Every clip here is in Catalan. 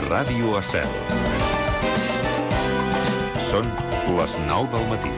Ràdio Estel. Són les 9 del matí.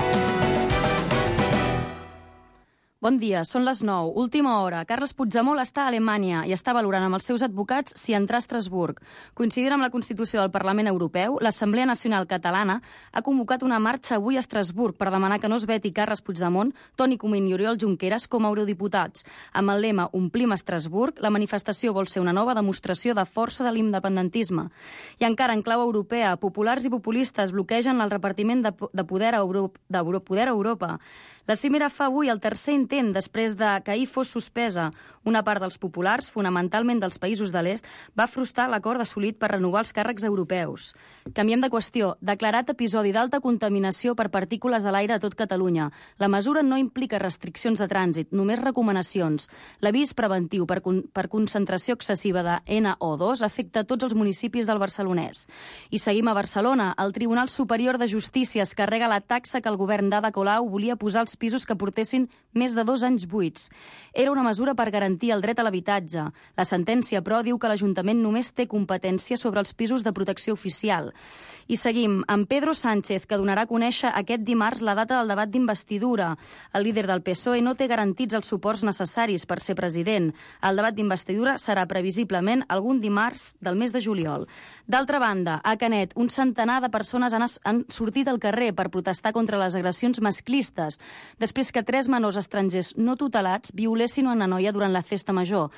Bon dia, són les 9, última hora. Carles Puigdemont està a Alemanya i està valorant amb els seus advocats si entrar a Estrasburg. Coincidint amb la Constitució del Parlament Europeu, l'Assemblea Nacional Catalana ha convocat una marxa avui a Estrasburg per demanar que no es veti Carles Puigdemont, Toni Comín i Oriol Junqueras com a eurodiputats. Amb el lema Omplim Estrasburg, la manifestació vol ser una nova demostració de força de l'independentisme. I encara en clau europea, populars i populistes bloquegen el repartiment de poder a Europa. La cimera fa avui el tercer intent després de que ahir fos suspesa. Una part dels populars, fonamentalment dels països de l'est, va frustrar l'acord assolit per renovar els càrrecs europeus. Canviem de qüestió. Declarat episodi d'alta contaminació per partícules de l'aire a tot Catalunya. La mesura no implica restriccions de trànsit, només recomanacions. L'avís preventiu per concentració excessiva de NO2 afecta tots els municipis del Barcelonès. I seguim a Barcelona. El Tribunal Superior de Justícia es carrega la taxa que el govern d'Ada Colau volia posar als pisos que portessin més de 2 anys buits. Era una mesura per garantir el dret a l'habitatge. La sentència, però, diu que l'Ajuntament només té competència sobre els pisos de protecció oficial. I seguim amb Pedro Sánchez, que donarà a conèixer aquest dimarts la data del debat d'investidura. El líder del PSOE no té garantits els suports necessaris per ser president. El debat d'investidura serà previsiblement algun dimarts del mes de juliol. D'altra banda, a Canet, un centenar de persones han sortit al carrer per protestar contra les agressions masclistes, després que 3 menors estrangers no tutelats violessin una noia durant la festa major.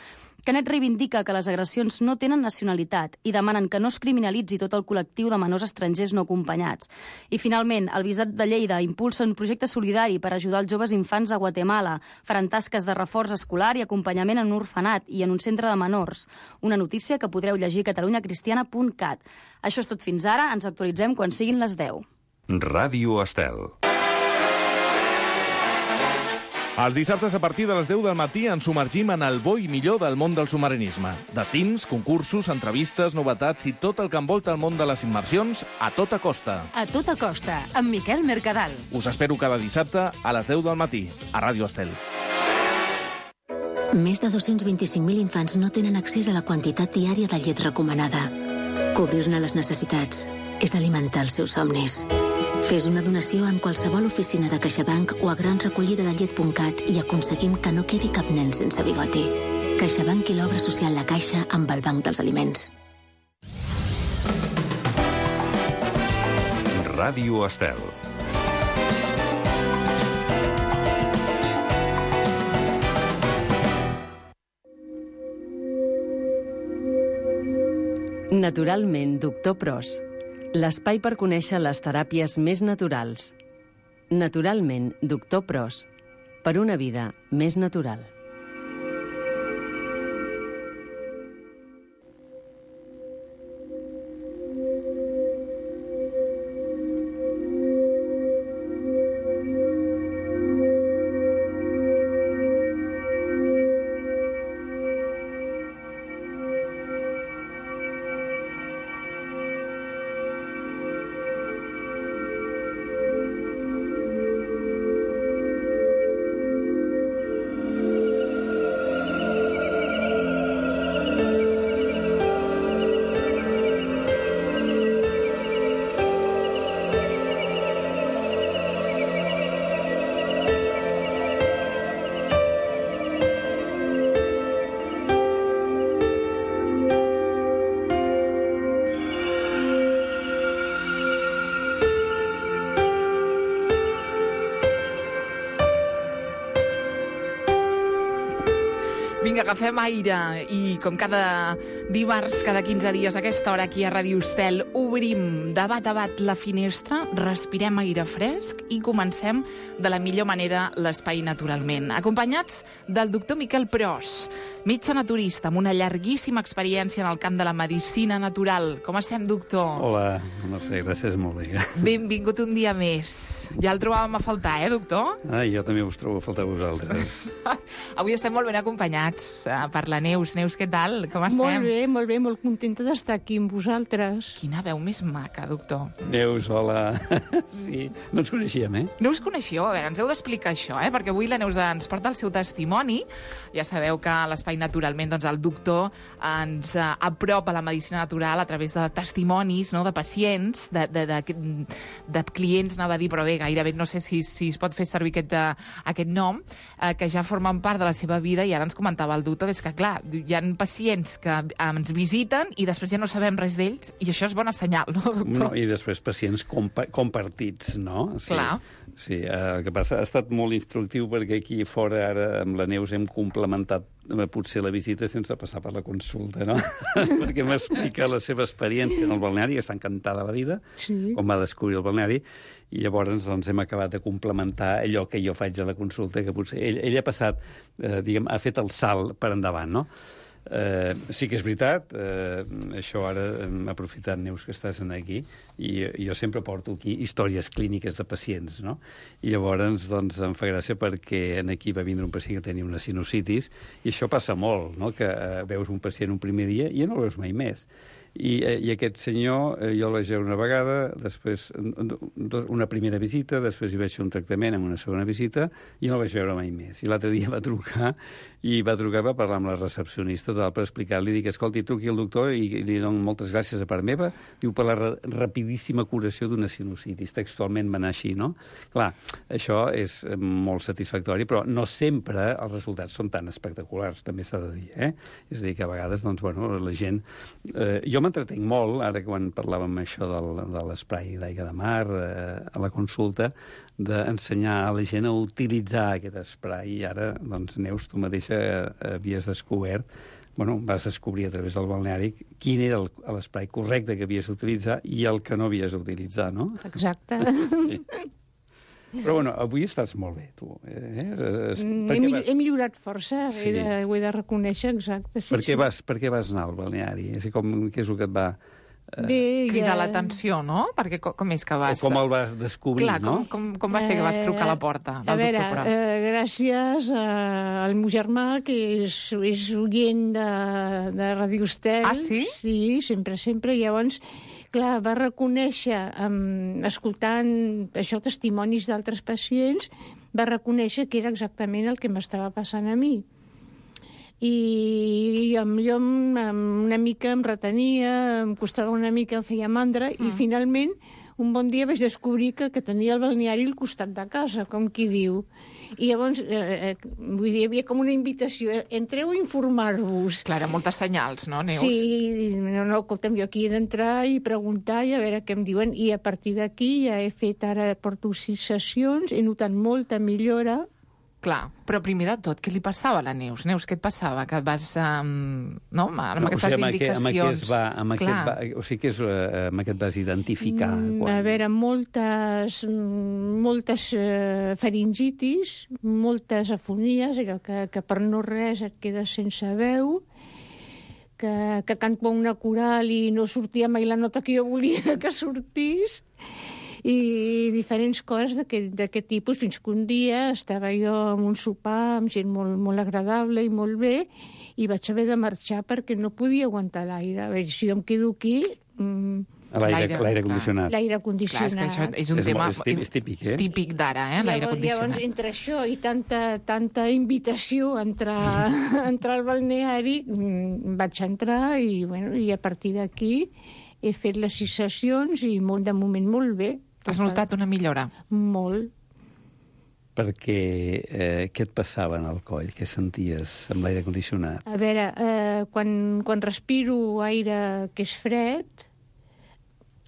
Canet reivindica que les agressions no tenen nacionalitat i demanen que no es criminalitzi tot el col·lectiu de menors estrangers no acompanyats. I finalment, el Bisbat de Lleida impulsa un projecte solidari per ajudar els joves infants a Guatemala. Faran tasques de reforç escolar i acompanyament en un orfenat i en un centre de menors. Una notícia que podreu llegir a catalunyacristiana.cat. Això és tot fins ara, ens actualitzem quan siguin les 10. Ràdio Estel. Els dissabtes a partir de les 10 del matí ens submergim en el bo i millor del món del submarinisme. Destins, concursos, entrevistes, novetats i tot el que envolta el món de les immersions a tota costa. A tota costa, amb Miquel Mercadal. Us espero cada dissabte a les 10 del matí, a Ràdio Estel. Més de 225.000 infants no tenen accés a la quantitat diària de llet recomanada. Cobrir-ne les necessitats és alimentar els seus somnis. Fes una donació en qualsevol oficina de CaixaBank o a granrecollidadellet.cat i aconseguim que no quedi cap nen sense bigoti. CaixaBank i l'obra social La Caixa amb el Banc dels Aliments. Ràdio Estel. Naturalment, Doctor Pros. L'espai per conèixer les teràpies més naturals. Naturalment, Doctor Pros. Per una vida més natural. Vinga, agafem aire i com cada dimarts, cada 15 dies a aquesta hora aquí a Ràdio Estel, obrim de bat a bat la finestra, respirem aire fresc i comencem de la millor manera l'espai naturalment. Acompanyats del doctor Miquel Pros, metge naturista amb una llarguíssima experiència en el camp de la medicina natural. Com estem, doctor? Hola, Mercè, gràcies, molt bé. Benvingut un dia més. Ja el trobàvem a faltar, doctor? Jo també us trobo a faltar vosaltres. Avui estem molt ben acompanyats per la Neus. Neus, què tal? Com estem? Molt bé, molt contenta d'estar aquí amb vosaltres. Quina veu més maca, doctor. Neus, hola. Sí, no ens coneixíem, eh? No us coneixíeu? A veure, ens heu d'explicar això, perquè avui la Neus ens porta el seu testimoni. Ja sabeu que a l'Espai l'espai Naturalment, doncs el doctor ens apropa la medicina natural a través de testimonis, no?, de pacients, de clients, anava a dir, però bé, gairebé no sé si es pot fer servir aquest nom, que ja formen part de la seva vida, i ara ens comentava el doctor, és que clar, hi ha pacients que ens visiten i després ja no sabem res d'ells, i això és bona senyal, no, doctor? No, i després pacients compartits, no? Sí. Clar. Sí, el que passa ha estat molt instructiu perquè aquí fora ara amb la Neus hem complementat potser la visita sense passar per la consulta, no? Perquè m'explica la seva experiència en el balneari, que està encantada de la vida, com va descobrir el balneari, i llavors doncs, hem acabat de complementar allò que jo faig a la consulta, que potser ell ha passat, ha fet el salt per endavant, no? Sí que és veritat, això ara hem aprofitat, Neus, que estàs aquí, i jo sempre porto aquí històries clíniques de pacients, no? I llavors doncs, em fa gràcia perquè aquí va vindre un pacient que tenia una sinusitis, i això passa molt, no?, que veus un pacient un primer dia i ja no el veus mai més. I aquest senyor, jo el vaig veure una vegada, després una primera visita, després hi vaig fer un tractament amb una segona visita, i no el vaig veure mai més. I l'altre dia va trucar per parlar amb la recepcionista per explicar-li, dic, escolti, truqui al doctor i li dono moltes gràcies a part meva, diu, per la rapidíssima curació d'una sinusitis. Textualment va anar així, no? Clar, això és molt satisfactori, però no sempre els resultats són tan espectaculars, també s'ha de dir, És a dir, que a vegades, doncs, bueno, la gent... Jo m'entretenc molt, ara quan parlàvem això de l'esprai d'aigua de mar, a la consulta, d'ensenyar a la gent a utilitzar aquest esprai. I ara, doncs, Neus, tu mateixa havies descobert, vas descobrir a través del balneari quin era l'esprai correcte que havies d'utilitzar i el que no havies d'utilitzar, no? Exacte. Sí. Però, avui estàs molt bé, tu. He millorat força, ho he de reconèixer, exacte. Per què vas anar al balneari? Què és el que et va... cridar l'atenció, no? Perquè com és que vas... O com el vas descobrir, no? Com va ser que vas trucar a la porta del doctor Pros? Gràcies al meu germà, que és oient de Radio Estel. Ah, sí? Sí, sempre. Llavors, clar, va reconèixer, escoltant això, testimonis d'altres pacients, va reconèixer que era exactament el que m'estava passant a mi. I jo una mica em retenia, em costava una mica, em feia mandra, i finalment un bon dia vaig descobrir que tenia el balneari al costat de casa, com qui diu. I llavors, vull dir, hi havia com una invitació, entreu a informar-vos. Clar, moltes senyals, no, Neus? Sí, escolta'm, jo aquí he d'entrar i preguntar i a veure què em diuen, i a partir d'aquí ja he fet, ara porto 6 sessions, he notat molta millora. Clar, però primer de tot, què li passava a la Neus? Neus, què et passava? Que et vas... no? Amb aquestes indicacions... Amb aquest vas identificar? A veure, moltes faringitis, moltes afonies, allò que per no res et quedes sense veu, que canto una coral i no sortia mai la nota que jo volia que sortís, i diferents coses d'aquest tipus, fins que un dia estava jo en un sopar amb gent molt agradable i molt bé, i vaig haver de marxar perquè no podia aguantar l'aire. A veure, si jo em quedo aquí... L'aire condicionat. L'aire condicionat. Clar, és que això és un tema... És típic, És típic d'ara, l'aire condicionat. Llavors, entre això i tanta invitació a entrar al balneari, vaig entrar i a partir d'aquí he fet les 6 sessions i de moment molt bé. Has notat una millora? Molt. Perquè què et passava en el coll? Què senties amb l'aire condicionat? A veure, quan respiro aire que és fred,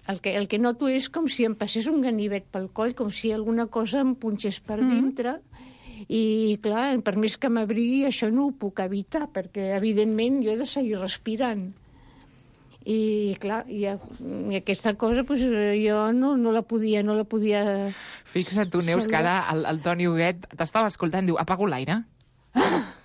el que noto és com si em passés un ganivet pel coll, com si alguna cosa em punxés per dintre, i clar, per més que m'abrigui, això no ho puc evitar, perquè evidentment jo he de seguir respirant. I clar, i aquesta cosa jo no la podia... Fixa't tu, Neus, que ara el Toni Huguet t'estava escoltant, diu, apago l'aire.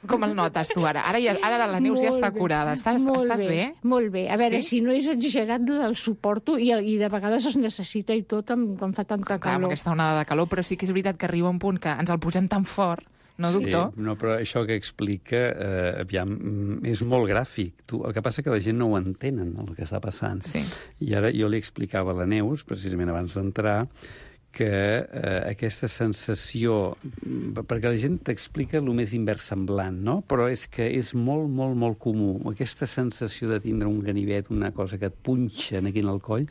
Com el notes tu ara? Ara la Neus ja està curada. Estàs bé? Molt bé. A veure, si no és exagerat, el suporto, i de vegades es necessita i tot quan fa tanta calor. Clar, amb aquesta onada de calor, però sí que és veritat que arriba un punt que ens el posem tan fort, no, doctor? Sí, però això que explica, és molt gràfic. El que passa que la gent no ho entenen, el que està passant. Sí. I ara jo li explicava a la Neus, precisament abans d'entrar, que aquesta sensació, perquè la gent t'explica el més inversemblant, no? Però és que és molt, molt, molt comú, aquesta sensació de tindre un ganivet, una cosa que et punxa aquí en el coll,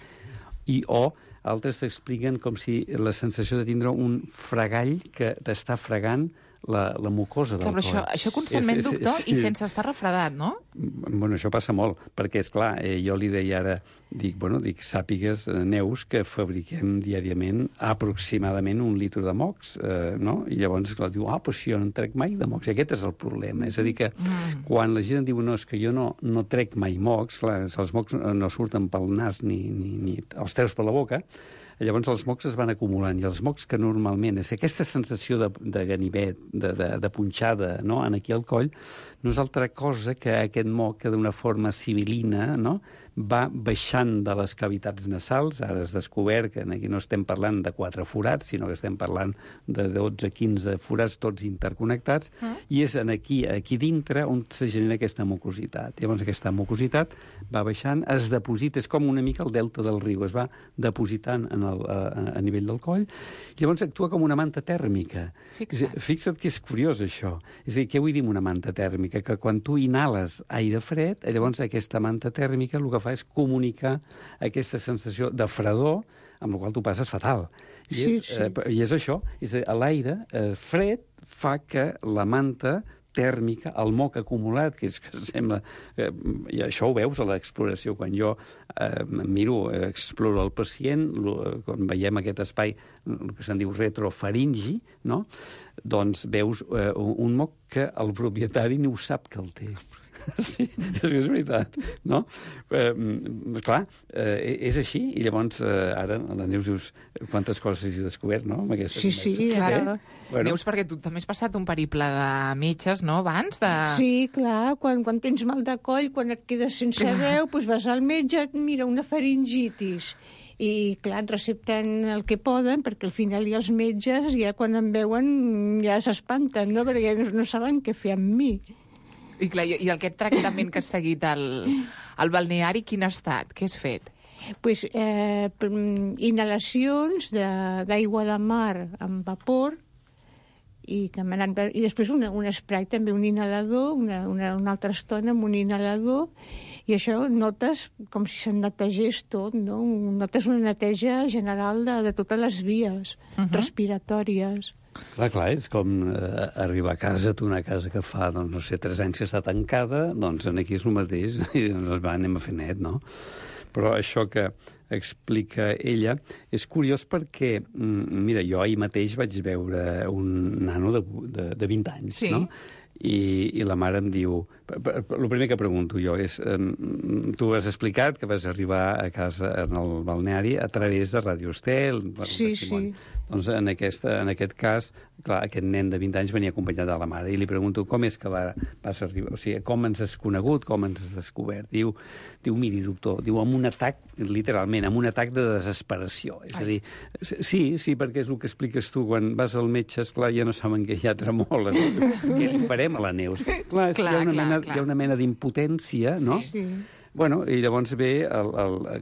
o altres t'expliquen com si la sensació de tindre un fregall que t'està fregant la mucosa del coll. Però això constantment, doctor, i sense estar refredat, no? Bueno, això passa molt, perquè, esclar, jo li deia ara, dic, sàpigues, Neus, que fabriquem diàriament aproximadament 1 litre de mocs, no? I llavors, esclar, diu, però si jo no en trec mai de mocs, i aquest és el problema. És a dir, que quan la gent diu, no, és que jo no trec mai mocs, clar, els mocs no surten pel nas ni els treus per la boca, llavors els mocs es van acumulant, i els mocs que normalment és aquesta sensació de ganivet, de punxada, no?, en aquí al coll, no és altra cosa que aquest moc que d'una forma sibilina, no?, va baixant de les cavitats nasals. Ara has descobert que aquí no estem parlant de 4 forats, sinó que estem parlant de 12-15 forats tots interconnectats, i és aquí dintre on se genera aquesta mucositat. Llavors aquesta mucositat va baixant, es deposita, és com una mica el delta del riu, es va depositant a nivell del coll, i llavors actua com una manta tèrmica. Fixa't que és curiós, això. És a dir, què vull dir amb una manta tèrmica? Que quan tu inhales aire fred, llavors aquesta manta tèrmica el que fa és comunicar aquesta sensació de fredor, amb la qual tu passes fatal. I és això. És a dir, l'aire fred fa que la manta tèrmica, el moc acumulat, que és que sembla... I això ho veus a l'exploració. Quan jo exploro el pacient, quan veiem aquest espai, el que se'n diu retrofaringi, no?, doncs veus un moc que el propietari ni ho sap que el té. Sí, és veritat, no? Clar, és així, i llavors ara la Neus dius quantes coses has descobert, no? Sí, clar. Neus, perquè tu també has passat un periple de metges, no?, abans de... Sí, clar, quan tens mal de coll, quan et quedes sense veu, doncs vas al metge, et mira una faringitis. I, clar, et recepten el que poden, perquè al final hi ha els metges, ja quan em veuen ja s'espanten, no?, perquè no saben què fer amb mi. I clar, i aquest tractament que has seguit al balneari, quin ha estat? Què has fet? Pues, inhalacions d'aigua de mar amb vapor, i després un spray, també un inhalador, una altra estona amb un inhalador, i això notes com si se'n netegés tot, no? Notes una neteja general de totes les vies respiratòries. Clar, és com arribar a casa, tu una casa que fa, doncs, no sé, 3 anys que està tancada, doncs aquí és el mateix, i doncs anem a fer net, no? Però això que explica ella és curiós perquè, mira, jo ahir mateix vaig veure un nano de 20 anys, no? I la mare em diu... El primer que pregunto jo és... Tu has explicat que vas arribar a casa en el balneari a través de Radio Estel. Sí. Doncs en aquest cas, clar, aquest nen de 20 anys venia acompanyat de la mare i li pregunto com és que vas arribar, o sigui, com ens has conegut, com ens has descobert. Diu, miri, doctor, amb un atac, literalment, amb un atac de desesperació. És a dir, sí, perquè és el que expliques tu, quan vas al metge, esclar, ja no saben que hi ha tremola, no? Què li farem a la Neus? Clar, hi ha una mena d'impotència, no? Sí. Bueno, i llavors ve,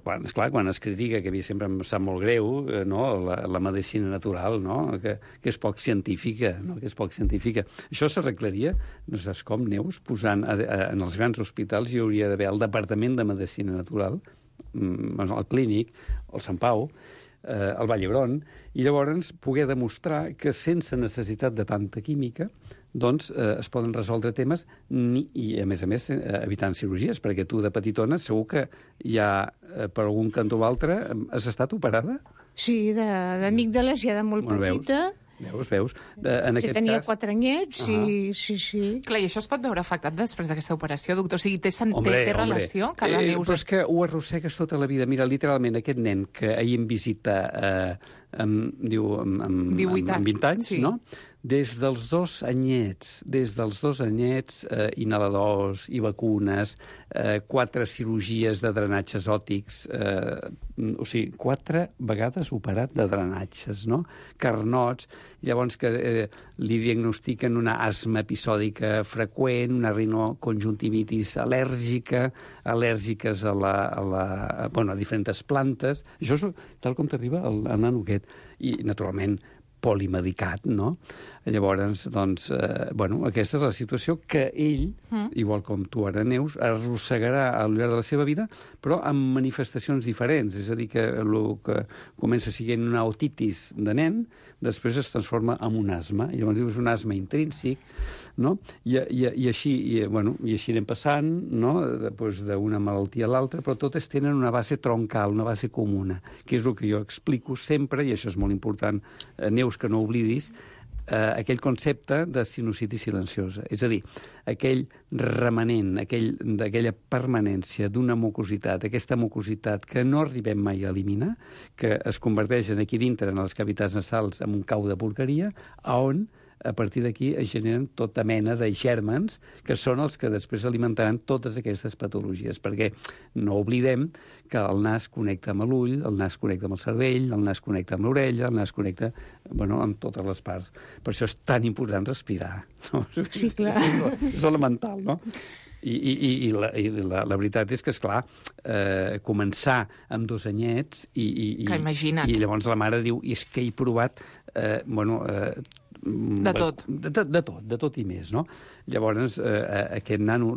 quan es critica, que a mi sempre em sap molt greu, no? la medicina natural, no? que és poc científica, no? Que és poc científica. Això s'arreglaria, no saps com, Neus, posant en els grans hospitals hi hauria d'haver el Departament de Medicina Natural, el Clínic, el Sant Pau, el Vall d'Hebron, i llavors poder demostrar que sense necessitat de tanta química doncs es poden resoldre temes i, a més, evitant cirurgies, perquè tu de petitona segur que ja per algun cantó o altre has estat operada? Sí, d'amígdales ja de molt petita. Veus? Que tenia 4 anyets, sí. Clar, i això es pot veure afectat després d'aquesta operació, doctor? O sigui, té relació? Que la Neus... Però és que ho arrossegues tota la vida. Mira, literalment, aquest nen que ahir em visita, diu, amb 20 anys, no? des dels 2 anyets, inhaladors i vacunes, 4 cirurgies de drenatges òtics, o sigui, 4 vegades operat de drenatges, no? Carnots, llavors que li diagnostiquen una asma episòdica freqüent, una rinoconjuntivitis al·lèrgiques a diferents plantes. Això és tal com t'arriba el nano aquest. I, naturalment, polimedicat, no? Llavors, doncs, aquesta és la situació que ell, igual com tu ara, Neus, arrossegarà al llarg de la seva vida, però amb manifestacions diferents. És a dir, que el que comença sent una otitis de nen, després es transforma en un asma. I llavors és un asma intrínsec, no? I així anem passant, no? Després d'una malaltia a l'altra, però totes tenen una base troncal, una base comuna, que és el que jo explico sempre, i això és molt important, Neus, que no oblidis, aquell concepte de sinusitis silenciosa. És a dir, aquell remanent, d'aquella permanència d'una mucositat, aquesta mucositat que no arribem mai a eliminar, que es converteix aquí dintre, en les cavitats nasals, en un cau de porqueria, on a partir d'aquí es generen tota mena de gèrmens que són els que després alimentaran totes aquestes patologies, perquè no oblidem que el nas connecta amb l'ull, el nas connecta amb el cervell, el nas connecta amb l'orella, el nas connecta amb totes les parts. Per això és tan important respirar. No? Sí, clar. És elemental, no? I la veritat és que, esclar, començar amb 2 anyets i llavors la mare diu, és que he provat de tot i més, no? Llavors, aquest nano,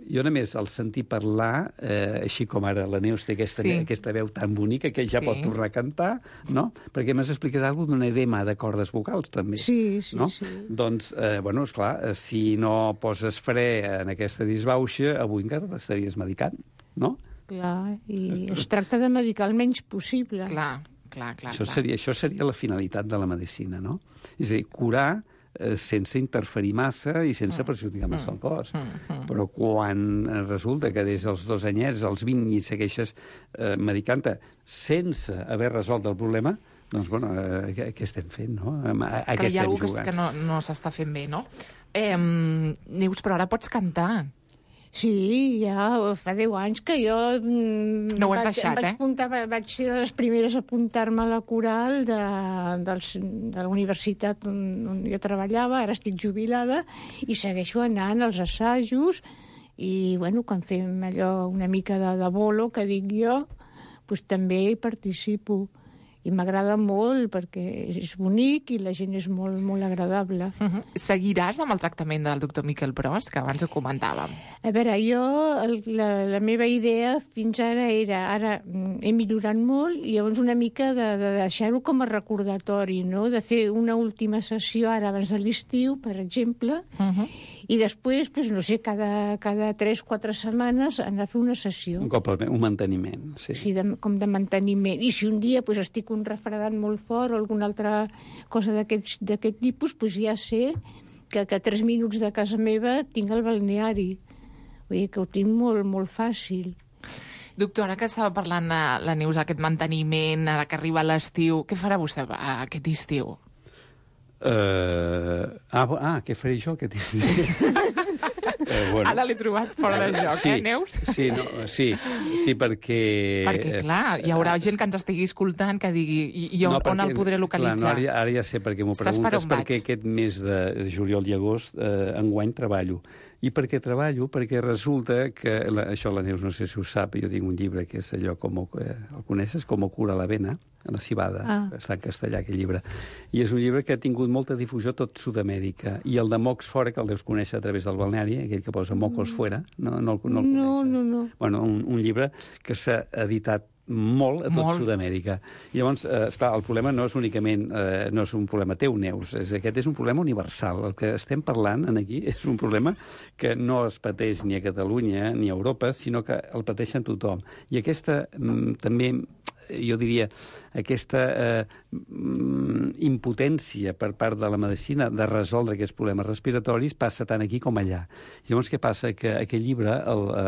jo només el sentir parlar, així com ara la Neus té aquesta veu tan bonica que ja pot tornar a cantar, no? Perquè m'has explicat alguna cosa d'un edema de cordes vocals, també. Sí. Doncs, esclar, si no poses fre en aquesta disbauxa, avui encara t'estaries medicant, no? Clar, i es tracta de medicar el menys possible. Clar. Això seria la finalitat de la medicina, no? És a dir, curar sense interferir massa i sense perjudicar massa el cos. Però quan resulta que des dels 2 anyets als 20 i segueixes medicant-te sense haver resolt el problema, doncs, què estem fent, no? Que hi ha alguna cosa que no s'està fent bé, no? Neus, però ara pots cantar. Sí, ja fa 10 anys que jo... No ho has deixat, vaig ser de les primeres a apuntar-me a la coral de la universitat on jo treballava, ara estic jubilada, i segueixo anant als assajos, i, quan fem allò una mica de bolo, que dic jo, doncs també hi participo. I m'agrada molt perquè és bonic i la gent és molt, molt agradable. Seguiràs amb el tractament del doctor Miquel Pros, que abans ho comentàvem? A veure, la meva idea fins ara era, ara he millorat molt, i llavors una mica de deixar-ho com a recordatori, no? De fer una última sessió ara abans de l'estiu, per exemple, i després, no sé, cada 3-4 setmanes anar a fer una sessió. Un manteniment, sí. Sí, com de manteniment. I si un dia estic un refredat molt fort o alguna altra cosa d'aquest tipus, ja sé que a 3 minuts de casa meva tinc el balneari. Vull dir que ho tinc molt, molt fàcil. Doctor, ara que estava parlant la Neus, aquest manteniment, ara que arriba l'estiu, què farà vostè aquest estiu? Què faré jo aquest estiu? Ara l'he trobat fora de joc, Neus? Sí, perquè... Perquè, clar, hi haurà gent que ens estigui escoltant que digui on el podré localitzar. Ara ja sé per què m'ho preguntes, perquè aquest mes de juliol i agost enguany treballo. I per què treballo? Perquè resulta que, això la Neus no sé si ho sap, jo tinc un llibre que és allò, el coneixes, Com cura la vena, a la cibada, està en castellà aquell llibre. I és un llibre que ha tingut molta difusió a tot Sud-amèrica. I el de Mocs Fora, que el deus conèixer a través del balneari, aquell que posa Mocos Fuera, no el coneixes? No. Bueno, un llibre que s'ha editat molt a tot Sud-amèrica. I llavors, esclar, el problema no és únicament, no és un problema teu, Neus, aquest és un problema universal. El que estem parlant aquí és un problema que no es pateix ni a Catalunya ni a Europa, sinó que el pateixen tothom. I aquesta també, jo diria, aquesta impotència per part de la medicina de resoldre aquests problemes respiratoris passa tant aquí com allà. Llavors, què passa? Que aquest llibre,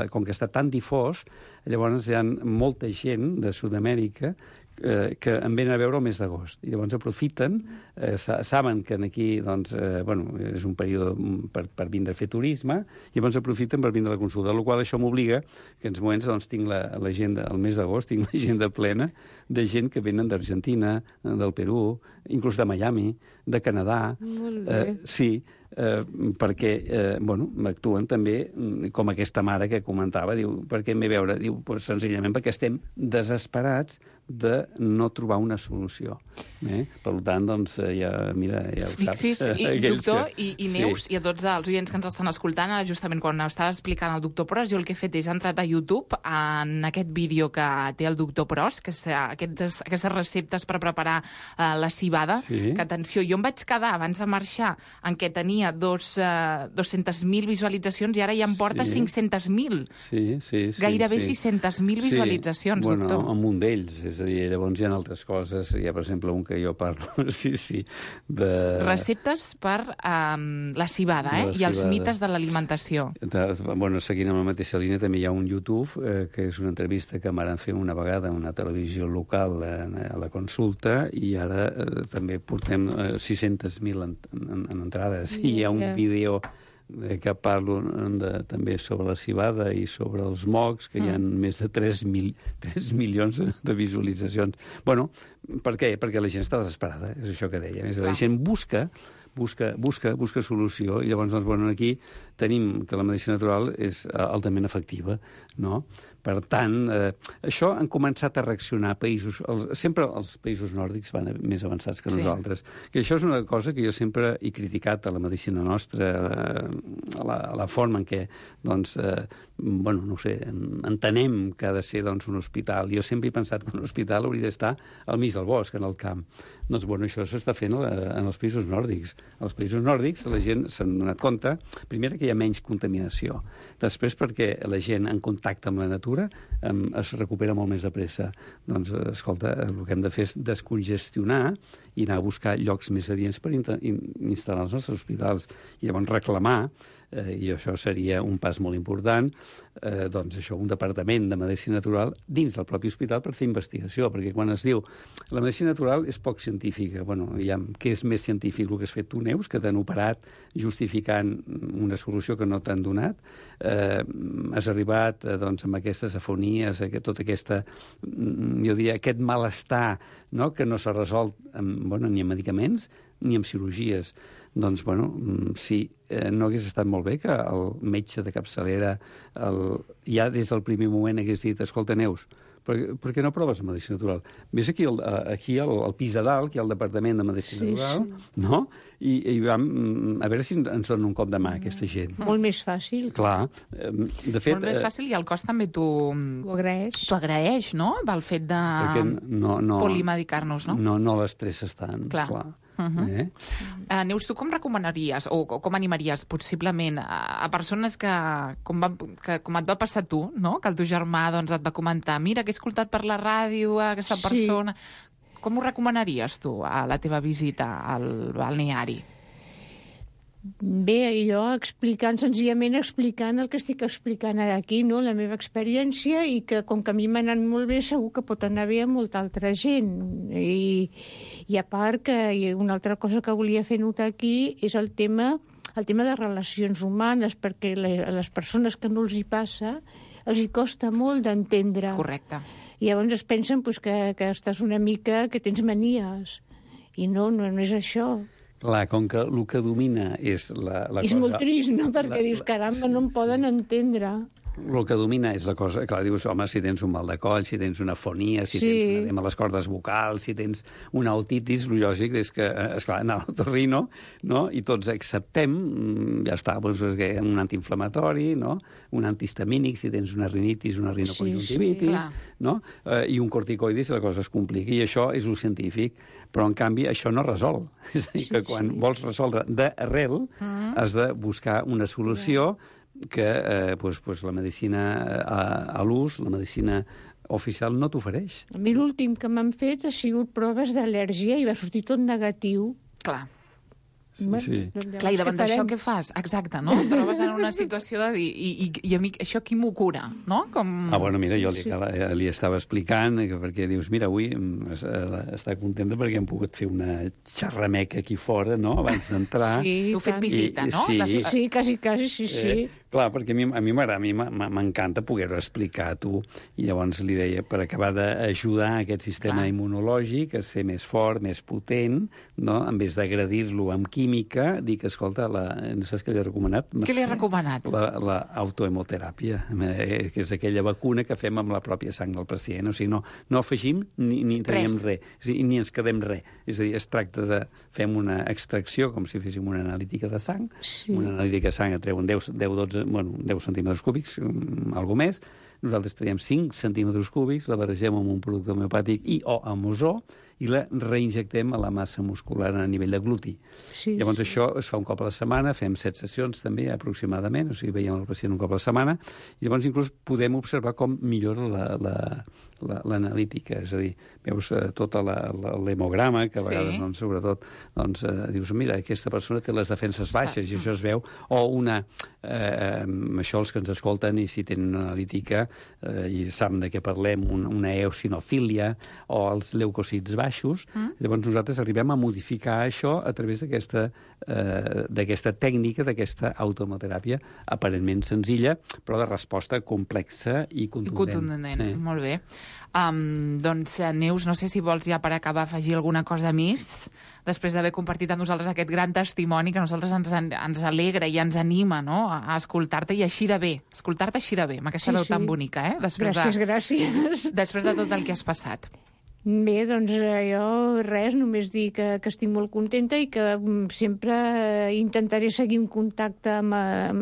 com que està tan difós, llavors hi ha molta gent de Sud-amèrica que en venen a veure el mes d'agost. I llavors aprofiten, saben que aquí doncs, és un període per vindre a fer turisme, i llavors aprofiten per vindre a la consulta, amb la qual això m'obliga que en els moments doncs, tinc l'agenda, el mes d'agost, tinc l'agenda plena de gent que venen d'Argentina, del Perú, inclús de Miami, de Canadà. Molt bé. Sí, perquè actuen també com aquesta mare que comentava, diu, per què em ve a veure? Diu, senzillament perquè estem desesperats de no trobar una solució. Per tant, doncs, ja ho saps. Sí, doctor, i Neus, i a tots els oients que ens estan escoltant, justament quan estava explicant el doctor Pros, jo el que he fet és entrat a YouTube en aquest vídeo que té el doctor Pros, que és aquestes receptes per preparar la civada, que, atenció, jo em vaig quedar abans de marxar en què tenia 200.000 visualitzacions i ara ja em porta 500.000. Sí. Gairebé 600.000 visualitzacions, doctor. Bueno, amb un d'ells, és a dir, llavors hi ha altres coses, hi ha, per exemple, un que jo parlo, de... Receptes per la civada, i els mites de l'alimentació. Seguint amb la mateixa línia, també hi ha un YouTube, que és una entrevista que m'han fet una vegada a una televisió local a la consulta, i ara també portem 600.000 en entrades. I hi ha un vídeo que parlo també sobre la civada i sobre els mocs, que hi ha més de 3 milions de visualitzacions. Bueno, per què? Perquè la gent està desesperada, és això que deia. La gent busca solució, i llavors, aquí tenim que la medicina natural és altament efectiva, no? Per tant, això han començat a reaccionar països... Sempre els països nòrdics van més avançats que nosaltres. Que això és una cosa que jo sempre he criticat a la medicina nostra, a la forma en què, doncs, entenem que ha de ser un hospital. Jo sempre he pensat que un hospital hauria d'estar al mig del bosc, en el camp. Doncs, això s'està fent en els països nòrdics. Als països nòrdics la gent s'ha donat compte, primer, que hi ha menys contaminació. Després, perquè la gent en contacte amb la natura es recupera molt més de pressa. Doncs, escolta, el que hem de fer és descongestionar i anar a buscar llocs més adients per instal·lar els nostres hospitals. I llavors reclamar, i això seria un pas molt important, un departament de medicina natural dins del propi hospital per fer investigació, perquè quan es diu la medicina natural és poc científica, què és més científic el que has fet tu, Neus, que t'han operat justificant una solució que no t'han donat, has arribat amb aquestes afonies, tota aquesta, jo diria, aquest malestar, que no s'ha resolt ni amb medicaments ni amb cirurgies. Doncs, sí, no hagués estat molt bé que el metge de capçalera ja des del primer moment hagués dit, escolta, Neus, per què no proves la medicina natural? Ves aquí al pis de dalt, que hi ha el departament de medicina natural, no? I vam a veure si ens donen un cop de mà, aquesta gent. Molt més fàcil. Clar. De fet, molt més fàcil, i el cos també t'ho agraeix. T'ho agraeix, no? Pel fet de polimedicar-nos, no? No l'estrès tant. Clar. Neus, tu com recomanaries o com animaries possiblement a persones que com et va passar tu, no? Que el teu germà et va comentar, mira, que he escoltat per la ràdio aquesta persona. Com ho recomanaries tu a la teva visita al balneari? Bé, jo senzillament explicant el que estic explicant ara aquí, no? La meva experiència, i que com que a mi m'ha anat molt bé, segur que pot anar bé a molta altra gent. I a part que una altra cosa que volia fer notar aquí és el tema de relacions humanes, perquè a les persones que no els hi passa els hi costa molt d'entendre. Correcte. I llavors es pensen que estàs una mica, que tens manies. I no és això. Clar, com que el que domina és la cosa... És molt trist, no? Perquè dius, caramba, no em poden entendre. El que domina és la cosa... Clar, dius, home, si tens un mal de coll, si tens una fonia, si tens un edema a les cordes vocals, si tens una otitis, el lògic és que, esclar, anar a l'otorrino, no? I tots acceptem, ja està, doncs, un antiinflamatori, no? Un antihistamínic, si tens una rinitis, una rinoconjuntivitis, no? I un corticoide si la cosa es complica. I això és el científic. Però, en canvi, això no resol. És a dir, que quan vols resoldre d'arrel, has de buscar una solució que la medicina a l'ús, la medicina oficial, no t'ofereix. A mi l'últim que m'han fet ha sigut proves d'al·lèrgia i va sortir tot negatiu. Clar. Sí. Clar, i davant d'això què fas? Exacte, no? Et trobes en una situació de dir, i a mi això qui m'ho cura, no? Bueno, mira, jo li estava explicant, perquè dius, mira, avui està contenta perquè hem pogut fer una xerrameca aquí fora, no?, abans d'entrar. Sí, heu fet visita, no? Sí, quasi, sí. Clar, perquè a mi m'encanta poder-ho explicar a tu, i llavors li deia, per acabar d'ajudar aquest sistema immunològic a ser més fort, més potent, no?, en vez d'agredir-lo amb química, dic, escolta, no saps què li he recomanat? Què li he recomanat? L'autohemoteràpia, que és aquella vacuna que fem amb la pròpia sang del pacient. O sigui, no afegim ni traiem res, ni ens quedem res. És a dir, es tracta de... Fem una extracció, com si féssim una analítica de sang. Una analítica de sang et treuen 10 centímetres cúbics, alguna més. Nosaltres traiem 5 centímetres cúbics, la barregem amb un producte homeopàtic o amb ozó, i la reinjectem a la massa muscular a nivell de gluti. Llavors això es fa un cop a la setmana, fem 7 sessions també aproximadament, o sigui, veiem el pacient un cop a la setmana, i llavors inclús podem observar com millora l'analítica, és a dir, veus tot l'hemograma, que a vegades, sobretot, dius, mira, aquesta persona té les defenses baixes, i això es veu, o això els que ens escolten, i si tenen una analítica, i saben de què parlem, una eosinofília, o els leucocits baixos, llavors nosaltres arribem a modificar això a través d'aquesta tècnica, d'aquesta autohemoteràpia aparentment senzilla, però de resposta complexa i contundent. Molt bé. Doncs, Neus, no sé si vols ja per acabar afegir alguna cosa més, després d'haver compartit amb nosaltres aquest gran testimoni que a nosaltres ens alegra i ens anima, no?, a escoltar-te i així de bé, escoltar-te així de bé, amb aquesta veu tan bonica, Gràcies. Després de tot el que has passat. Bé, doncs jo només dir que estic molt contenta i que sempre intentaré seguir un contacte amb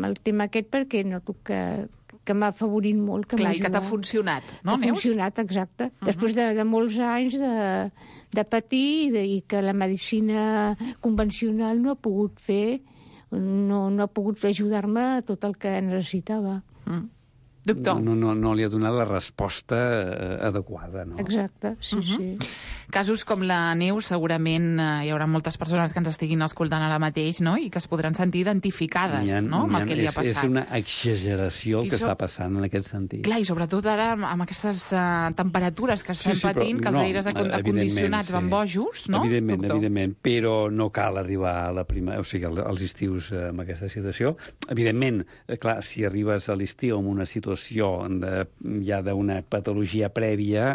el tema aquest perquè noto que m'ha afavorit molt, que m'ha ajudat. Clar, i que t'ha funcionat, no, Neus? Ha funcionat, exacte. Després de molts anys de patir i que la medicina convencional no ha pogut fer, no ha pogut ajudar-me a tot el que necessitava. Doctor. No li ha donat la resposta adequada, no? Exacte, sí. Casos com la Neus, segurament hi haurà moltes persones que ens estiguin escoltant ara mateix, no?, i que es podran sentir identificades, no?, amb el que li ha passat. És una exageració el que està passant en aquest sentit. Clar, i sobretot ara amb aquestes temperatures que estem patint, que els aires acondicionats van bojos, no? Evidentment, però no cal arribar a als estius amb aquesta situació. Evidentment, clar, si arribes a l'estiu amb una situació ja d'una patologia prèvia,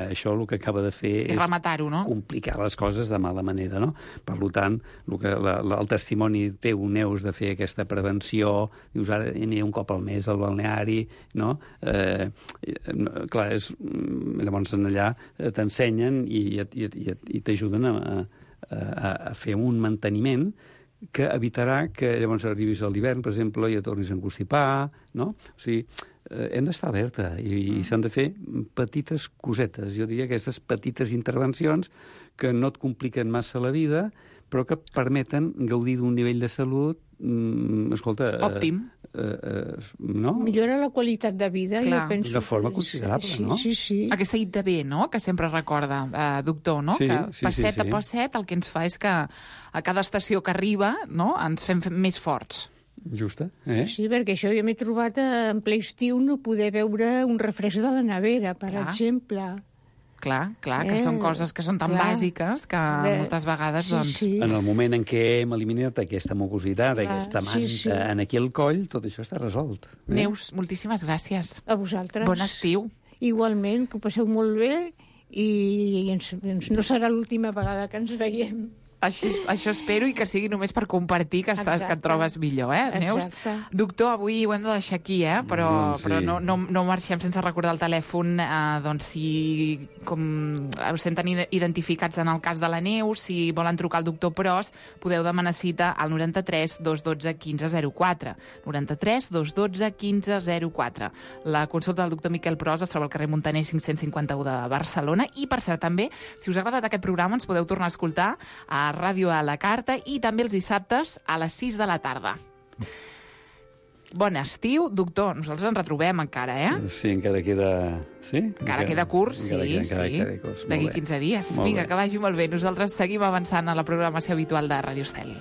això el que acaba de fer és rematar-ho, no?, complicar les coses de mala manera, no? Per tant, el testimoni teu, Neus, de fer aquesta prevenció, dius, ara aniré un cop al mes al balneari, no? Clar, llavors allà t'ensenyen i t'ajuden a fer un manteniment que evitarà que llavors arribis a l'hivern, per exemple, i et tornis a enconstipar, no? O sigui, hem d'estar alerta i s'han de fer petites cosetes, jo diria aquestes petites intervencions que no et compliquen massa la vida, però que permeten gaudir d'un nivell de salut, escolta... òptim. No? Millora la qualitat de vida, jo penso. De forma considerable, no? Sí. Aquesta idea, no?, que sempre recorda, doctor, no?, que passet a passet el que ens fa és que a cada estació que arriba, no?, ens fem més forts. Justa, Sí, perquè això jo m'he trobat en ple estiu no poder veure un refresc de la nevera, per exemple. Clar, que són coses que són tan bàsiques que moltes vegades, doncs... En el moment en què hem eliminat aquesta mucositat, aquesta manta en aquí al coll, tot això està resolt. Neus, moltíssimes gràcies. A vosaltres. Bon estiu. Igualment, que ho passeu molt bé i no serà l'última vegada que ens veiem. Això espero, i que sigui només per compartir que et trobes millor, Neus? Exacte. Doctor, avui ho hem de deixar aquí, però no marxem sense recordar el telèfon, doncs si us senten identificats en el cas de la Neus, si volen trucar al doctor Pros, podeu demanar cita al 93 212 1504. 93 212 1504. La consulta del doctor Miquel Pros es troba al carrer Muntaner 551 de Barcelona, i per cert també, si us ha agradat aquest programa, ens podeu tornar a escoltar a Ràdio a la Carta i també els dissabtes a les 6 de la tarda. Bon estiu, doctor. Nosaltres ens retrobem encara, Sí, encara queda... Sí? Encara queda curs, sí. D'aquí 15 dies. Vinga, que vagi molt bé. Nosaltres seguim avançant a la programació habitual de Ràdio Estel.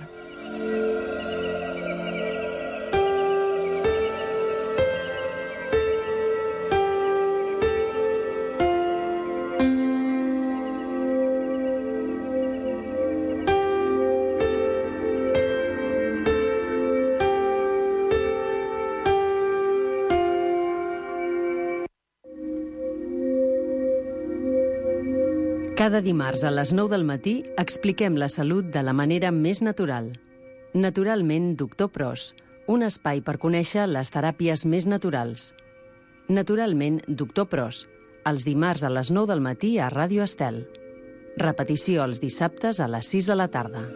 Cada dimarts a les 9 del matí expliquem la salut de la manera més natural. Naturalment, Doctor Pros, un espai per conèixer les teràpies més naturals. Naturalment, Doctor Pros, els dimarts a les 9 del matí a Ràdio Estel. Repetició els dissabtes a les 6 de la tarda.